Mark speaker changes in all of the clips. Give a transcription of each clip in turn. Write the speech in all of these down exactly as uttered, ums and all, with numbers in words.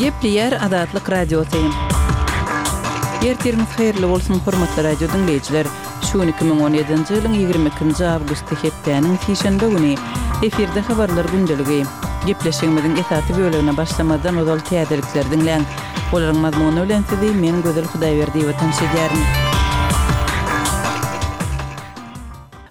Speaker 1: Gepleýär Azatlyk Radiosy. Ertiriňiz haýyrly bolsun, hormatly radio diňleýjiler! Şu gün iki müň on ýedinji ýylyň ýigrimi ikinji awgusty hepdäniň sişenbe güni. Efirde habarlar gündeligi. Gepleşigimiziň esasy bölegine başlamazdan ozal täzelikleri diňläň. Olaryň mazmuny bilen sizi men Gözel Hudaýberdiýewa tanyş edýärin.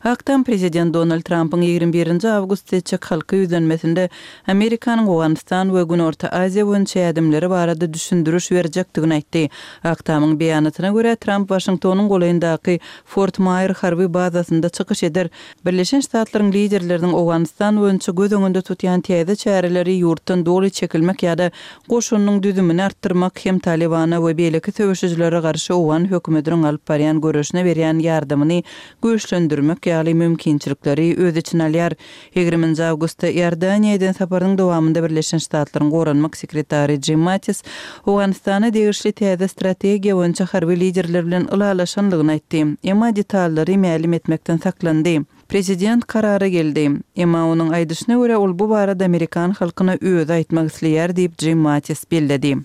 Speaker 1: Ak Tam prezident Donald Trampyň ýigrimi birinji awgustda etjek halka ýüzlenmesinde Amerikanyň Owganystan we Günorta Aziýa boýunça ädimleri barada düşündiriş berjekdigini aýtdy. Ak Tamyň beýanatyna görä, Tramp Waşingtonyň golaýyndaky Fort Maýer harby bazasynda çykyş eder. Birleşen Ştatlaryň liderleriniň Owganystan boýunça göz öňünde tutýan täze çäreleri ýurtdan doly çekilmek ýa-da goşunynyň düzümini artdyrmak hem Talybana we beýleki söweşijilere garşy owgan hökümetiniň alyp barýan göreşine berýän ýardamyny güýçlendirmek ýaly mümkinçilikleri öz içine alýar. Ýigriminji awgustda Iordaniýa eden saparynyň dowamynda Birleşen Ştatlaryň goranmak sekretary Jim Mattis Owganystana degişli täze strategiýa boýunça harby liderler bilen ylalaşandygyny aýtdy, emma detallary mälim etmekden saklandy. Prezident karara geldi. Emma onuň aýdyşyna görä, ol bu barada amerikan halkyna özi aýtmak isleýär diýip, Jim Mattis belledi.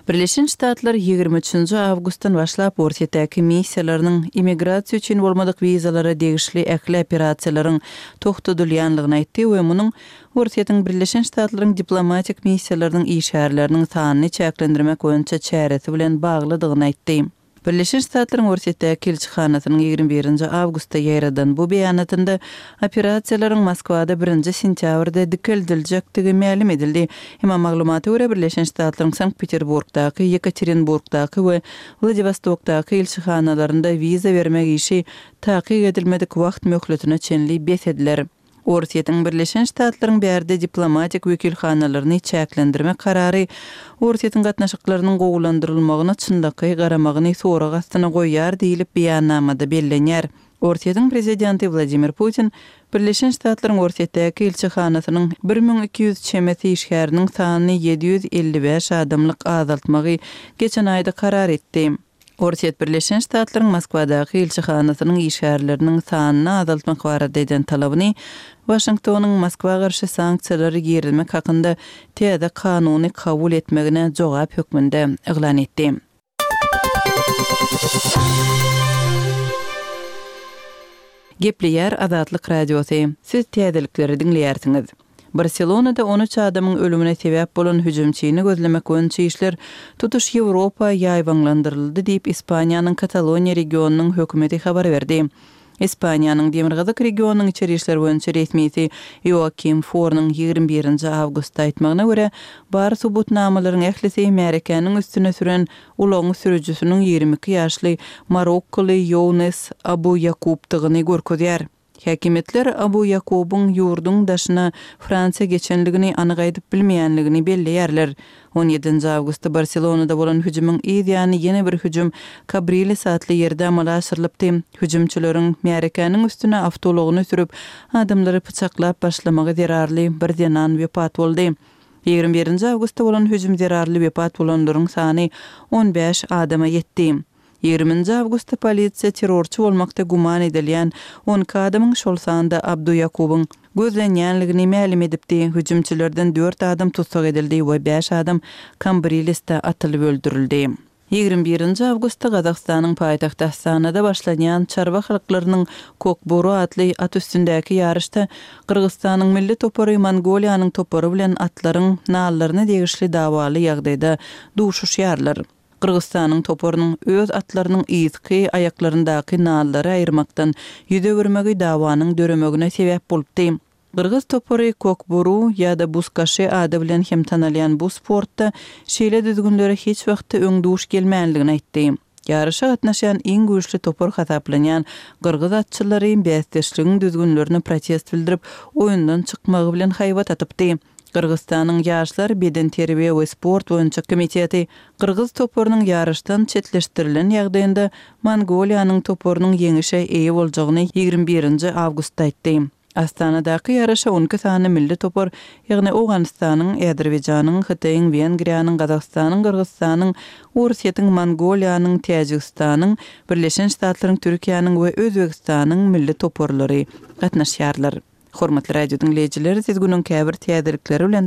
Speaker 1: Birleşen Ştatlar ýigrimi üçünji awgustdan başlap Orsýetdäki missiýalarynyň immigrasiýa üçin bolmadyk wizalara degişli ähli operasiýalaryň togtadylýanlygyny aýtdy we munuň Orsýetiň Birleşen Ştatlaryň diplomatik missiýalarynyň işgärleriniň sanyny çäklendirmek boýunça çäresi bilen baglydygyny aýtdy. Birleşen Ştatlaryň Orsýetdäki ilçihanasynyň ýigrimi birinji awgustda ýaýradan bu beýanatynda operasiýalaryň Moskwada birinji sentýabrda dikeldiljekdigi mälim edildi. Emma maglumata görä, Birleşen Ştatlaryň Sankt-Peterburgdaky, Ýekaterinburgdaky we Wladiwostokdaky ilçihanalarynda wiza bermek işi takyk edilmedik wagt möhletine çenli bes ediler. Orsýetiň Birleşen Ştatlaryň bärde diplomatik wekilhanalaryny çäklendirmek karary Orsýetiň gatnaşyklarynyň gowulandyrylmagyna çynlakaý garamagyny sorag astyna goýýar diýlip beýannamada bellenýär. Orsýetiň prezidenti Wladimir Putin Birleşen Ştatlaryň Orsýetdäki ilçihanasynyň bir müň iki ýüz çemesi işgäriniň sanyny ýedi ýüz elli bäş adamlyk azaltmagy geçen aýda karar etdi. Orsýet Birleşen Ştatlaryň Moskwadaky ilçihanasynyň işgärleriniň sanyny azaltmak barada eden talabyny Waşingtonyň Moskwa garşy sanksiýalary girizmek hakynda täze kanuny kabul etmegine jogap hökmünde yglan etdi. Gepleýär Azatlyk Radiosy. Siz täzelikleri diňleýärsiňiz. Barselonada on üç adamyň ölümine sebäp bolan hüjümçini gözlemek boýunça işler tutuş Ýewropa ýaýbaňlandyryldy diýip, Ispaniýanyň Kataloniýa regionynyň hökümeti habar berdi. Ispaniýanyň demirgazyk regionynyň içeri işler boýunça resmisi Ioakim Fornyň ýigrimi birinji awgustda aýtmagyna görä, bar subutnamalaryň ählisi märekäniň üstüne süren ulagyň sürüjisiniň ýigrimi iki ýaşly marokkoly Ýounes Abu Ýakubdygyny görkezýär. Häkimiýetler Abu Ýakubyň ýurduň daşyna Fransiýa geçenligini anyk aýdyp bilmeýänligini belleýärler. On ýedinji awgustda Barselonada bolan hüjümiň yz ýany ýene bir hüjüm Kabriles atly ýerde amala aşyrylypdy. Hüjümçileriň märekäniň üstüne awtoulagyny sürüp, adamlary pyçaklap başlamagy zerarly bir zenan wepat boldy. Ýigrimi birinji awgustda bolan hüjüm zerarly wepat bolanlaryň sany on bäş adama ýetdi. Ýigriminji awgustda polisiýa terrorçy bolmakda güman edilýän on iki adamyň, şol sanda Abdu Ýakubyň gözlenýänligini mälim edipdi. Hüjümçilerden dört adam tussag edildi we bäş adam Kambrilesde atylyp öldürildi. Ýigrimi birinji awgustda Gazagystanyň paýtagty Astanada başlanýan çarwa halklarynyň Kokboru atly at üstündäki ýaryşda Gyrgyzystanyň milli topary Mongoliýanyň topary bilen atlaryň nallaryna degişli dawaly ýagdaýda duşuşýarlar. Gyrgyzystanyň toparynyň öz atlarynyň yzky aýaklaryndaky nallary aýyrmakdan ýüz öwürmegi dawanyň döremegine sebäp bolupdy. Gyrgyz topary Kokboru ýa-da Buzkaşy ady bilen hem tanalýan bu sportda şeýle düzgünlere hiç wagtda öň duş gelmänligini aýtdy. Ýaryşa gatnaşýan iň güýçli topar hasaplanýan gyrgyz atçylary bäsdeşligiň düzgünlerine protest bildirip, oýundan çykmagy bilen haýbat atypdy. Gyrgyzystanyň Ýaşlar bedenterbiýe we sport boýunça komiteti gyrgyz toparynyň ýaryşdan çetleşdirilen ýagdaýynda Mongoliýanyň toparynyň ýeňişe eýe boljagyny ýigrimi birinji awgustda aýtdy. Astanadaky ýaryşa on iki sany milli topar, ýagny Owganystanyň, Azerbaýjanyň, Hytaýyň, Wengriýanyň, Gazagystanyň, Gyrgyzystanyň, Orsýetiň, Mongoliýanyň, Täjigistanyň, Birleşen Ştatlaryň, Türkiýäniň we Özbegistanyň milli toparlary gatnaşýarlar. Hormatly radio diňleýjiler, siz günüň käbir täzelikleri bilen